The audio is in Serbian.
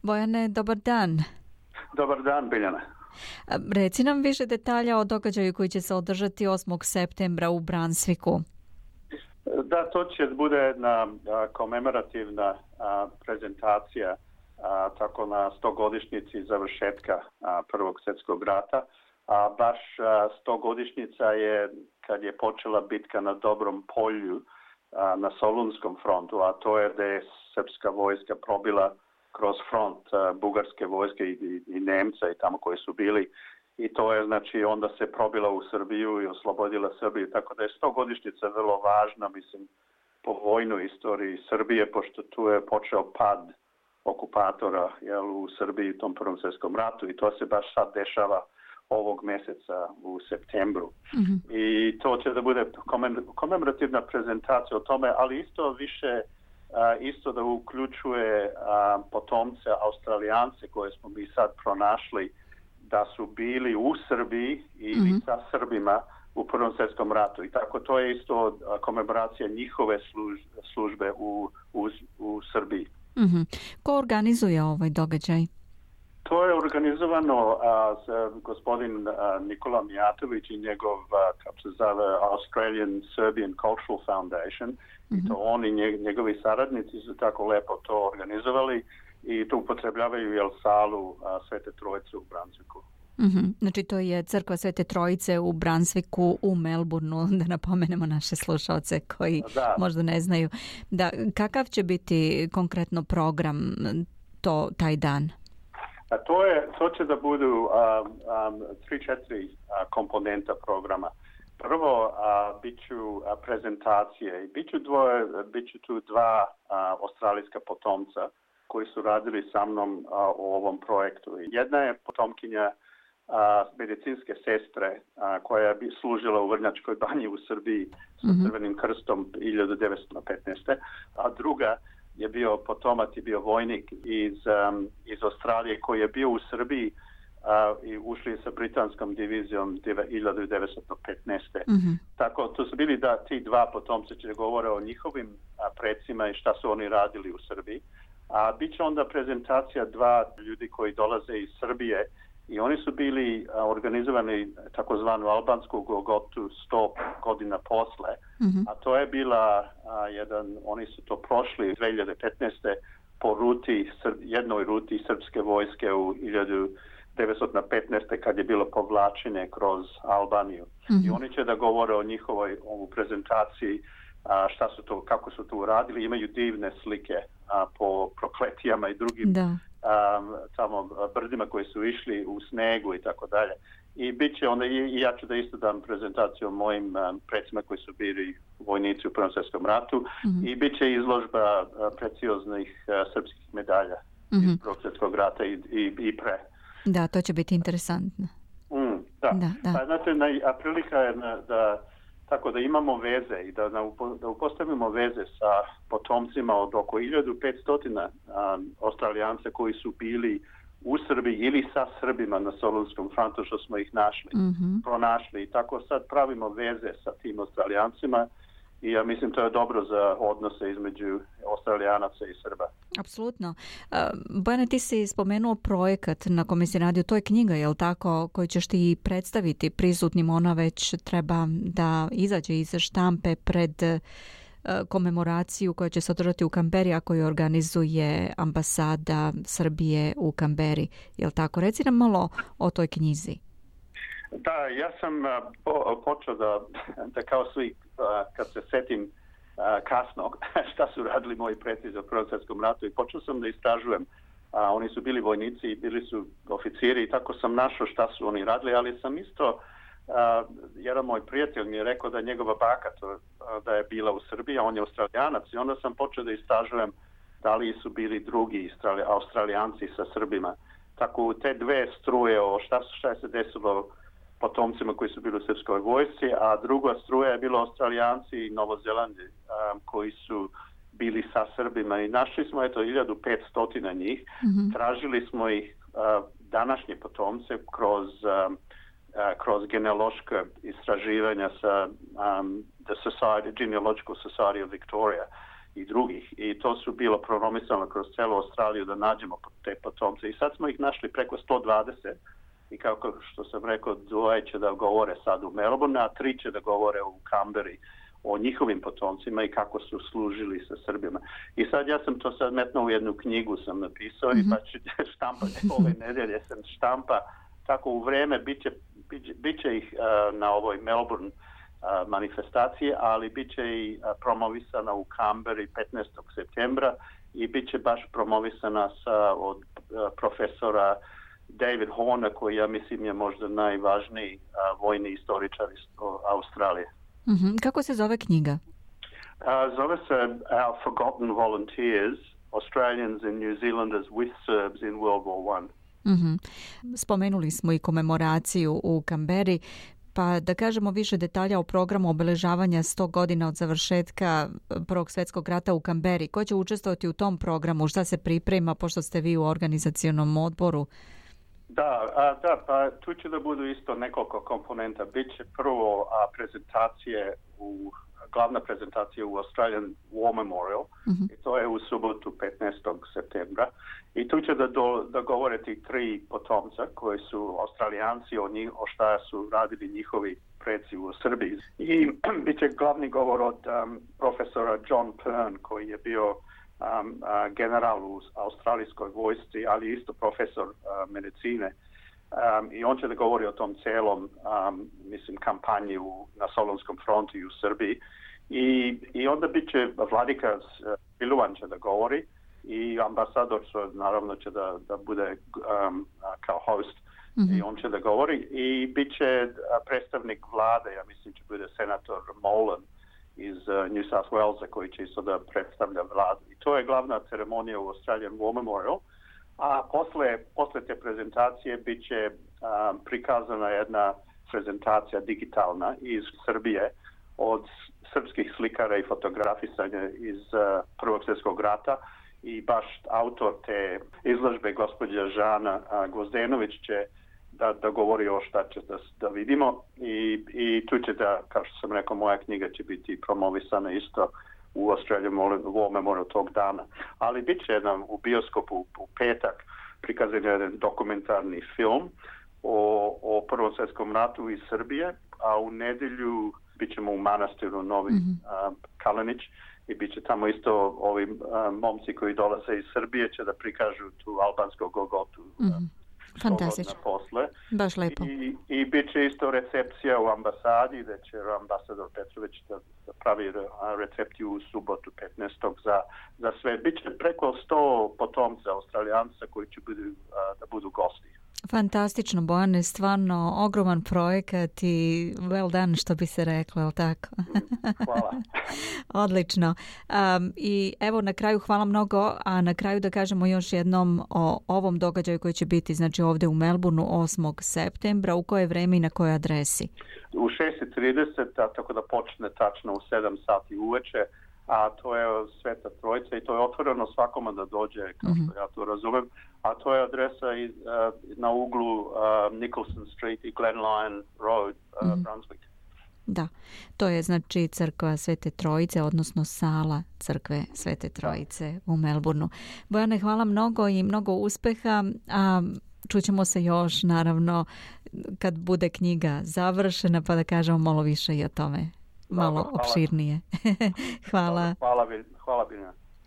Bojane, dobar dan. Dobar dan, Biljana. Reci nam više detalja o događaju koji će se održati 8. septembra u Brunswicku. Da, to će bude jedna komemorativna prezentacija tako na 100-godišnjici završetka Prvog svjetskog rata. A baš 100-godišnjica je kad je počela bitka na Dobrom polju na Solunskom frontu, a to je da je srpska vojska probila kroz front bugarske vojske i Nemca i tamo koji su bili. I to je, znači, onda se probila u Srbiju i oslobodila Srbiju. Tako da je 100-godišnjica vrlo važna, mislim, po vojnoj istoriji Srbije, pošto tu je počeo pad okupatora u Srbiji u tom Prvom svjetskom ratu i to se baš sad dešava ovog mjeseca u septembru. Mm-hmm. I to će da bude komemorativna prezentacija o tome, ali isto više isto da uključuje potomce Australijance koje smo mi sad pronašli da su bili u Srbiji ili sa Srbima u Prvom svjetskom ratu. I tako to je isto komemoracija njihove službe u Srbiji. Mm-hmm. Ko organizuje ovaj događaj? To je organizovano gospodin Nikola Mijatović i njegov, kako se zove, Australian Serbian Cultural Foundation. Mm-hmm. I to oni njegovi saradnici su tako lepo to organizovali i tu upotrebljavaju salu Svete Trojice u Brunswicku. Mm-hmm. Znači to je crkva Svete Trojice u Brunswicku u Melbourneu, da napomenemo naše slušalce koji možda ne znaju. Da, kakav će biti konkretno program taj dan? To će da budu 3-4 komponenta programa. Prvo bit ću prezentacije i bit ću tu dva australijska potomca koji su radili sa mnom u ovom projektu. Jedna je potomkinja medicinske sestre koja je služila u Vrnjačkoj banji u Srbiji sa Crvenim krstom 1915. A druga je bio potomac i bio vojnik iz Australije koji je bio u Srbiji i ušli sa britanskom divizijom 1915. Mm-hmm. Tako, to su bili ti dva potomci će govore o njihovim predsima i šta su oni radili u Srbiji. A bit će onda prezentacija dva ljudi koji dolaze iz Srbije i oni su bili organizovani takozvanu albansku Golgotu 100 godina posle. Mm-hmm. A to je bila oni su to prošli 2015. po jednoj ruti srpske vojske u 1915. kad je bilo povlačenje kroz Albaniju. Mm-hmm. I oni će da govore o njihovoj prezentaciji, kako su to uradili. Imaju divne slike po prokletijama i drugim tamo brdima koji su išli u snegu i tako dalje. I bit će onda, i ja ću da isto dam prezentaciju o mojim predsima koji su bili vojnici u Prvom svjetskom ratu. Mm-hmm. I bit će izložba precioznih srpskih medalja iz Prvog svjetskog rata i pre. Da, to će biti interesantno. Da. Pa, znate, prilika je tako da imamo veze i da upostavimo veze sa potomcima od oko 1500 Australijance koji su bili u Srbiji ili sa Srbima na Solunskom frontu što smo ih pronašli. I tako sad pravimo veze sa tim Australijancima i ja mislim to je dobro za odnose između Australijanaca i Srba. Apsolutno. Bojane, ti si spomenuo projekat na kome si radio, to je knjiga, je li tako, koju ćeš ti predstaviti prisutnim, ona već treba da izađe iz štampe pred komemoraciju koja će se održati u Kamberi, a koju organizuje ambasada Srbije u Kamberi. Je li tako? Reci nam malo o toj knjizi. Da, ja sam počeo da kao svi, kad se setim kasno šta su radili moji preci za Prvom svjetskom ratu i počeo sam da istražujem. Oni su bili vojnici i bili su oficiri i tako sam našao šta su oni radili, ali sam isto jedan moj prijatelj mi je rekao da njegova baka da je bila u Srbiji, a on je Australijanac i onda sam počeo da istražujem da li su bili drugi Australijanci sa Srbima. Tako u te dve struje o šta je se desilo potomcima koji su bili u srpskoj vojsci, a druga struja je bilo Australijanci i Novozelandi koji su bili sa Srbima i našli smo 1500 njih. Mm-hmm. Tražili smo ih današnje potomce kroz genealoška istraživanja sa the Genealogical Society of Victoria i drugih. I to su bilo promovisano kroz celu Australiju da nađemo te potomce. I sad smo ih našli preko 120 i kako što sam rekao, 2 će da govore sad u Melbourne, a 3 će da govore u Canberri o njihovim potomcima i kako su služili sa Srbima. I sad ja sam to sad metnuo u jednu knjigu sam napisao i pa ću štampati ove nedelje sam štampa. Tako u vreme bit će ih na ovoj Melbourne manifestaciji, ali bit će i promovisana u Canberri 15. septembra i bit će baš promovisana od profesora David Horner, koji ja mislim je možda najvažniji vojni istoričar iz Australije. Kako se zove knjiga? Zove se Our Forgotten Volunteers, Australians and New Zealanders with Serbs in World War I. Spomenuli smo i komemoraciju u Canberri, pa da kažemo više detalja o programu obeležavanja 100 godina od završetka Prvog svjetskog rata u Canberri. Ko će učestvovati u tom programu? Šta se priprema, pošto ste vi u organizacionom odboru? Pa tu će da budu isto nekoliko komponenta. Biće prvo glavna prezentacija u Australian War Memorial i to je u subotu 15. septembra. I tu će da govore ti 3 potomca koji su Australijanci o šta su radili njihovi preci u Srbiji. I bit će glavni govor od profesora John Pern koji je bio general u australijskoj vojsci, ali isto profesor medicine. I on će da govori o tom celom kampanji na Solunskom frontu i u Srbiji. I onda bit će vladika Siluan će da govori i ambasador naravno će da bude kao host i on će da govori i bit će predstavnik vlade, ja mislim će bude senator Molan iz New South Walesa koji će isto da predstavlja vladu. I to je glavna ceremonija u Australian War Memorial. A posle te prezentacije bit će prikazana jedna prezentacija digitalna iz Srbije od srpskih slikara i fotografisanja iz Prvog svjetskog rata i baš autor te izložbe gospođa Žana Gvozdenović će da govori o šta će da vidimo i tu će da, kao što sam rekao, moja knjiga će biti promovisana isto u Australian War Memorial tog dana. Ali bit će u bioskopu u petak prikazan jedan dokumentarni film o Prvom svjetskom ratu iz Srbije, a u nedelju bit ćemo u manastiru Novi Kalenić i bit će tamo isto ovi momci koji dolaze iz Srbije će da prikažu tu albansku Golgotu. Fantastično. Posle. Baš lepo. I bit će isto recepcija u ambasadi gde će ambasador Petrović da pravi recepciju u subotu 15. za sve. Biće preko 100 potomca Australijanca koji će da budu gosti. Fantastično, Bojane, stvarno ogroman projekat i well done, što bi se reklo, je li tako? Hvala. Odlično. I evo na kraju hvala mnogo, a na kraju da kažemo još jednom o ovom događaju koji će biti znači ovdje u Melbourneu 8. septembra, u koje vreme i na kojoj adresi? U 6:30, tako da počne tačno u 7 sati uveče, a to je Sveta Trojica i to je otvoreno svakome da dođe, kao što ja to razumem, a to je adresa na uglu Nicholson Street i Glen Lyon Road, Brunswick. Da, to je znači crkva Svete Trojice, odnosno sala crkve Svete Trojice u Melbourneu. Bojane, hvala mnogo i mnogo uspeha, a čućemo se još naravno kad bude knjiga završena pa da kažemo malo više i o tome. Malo opširnije. Hvala. Hvala Biljana.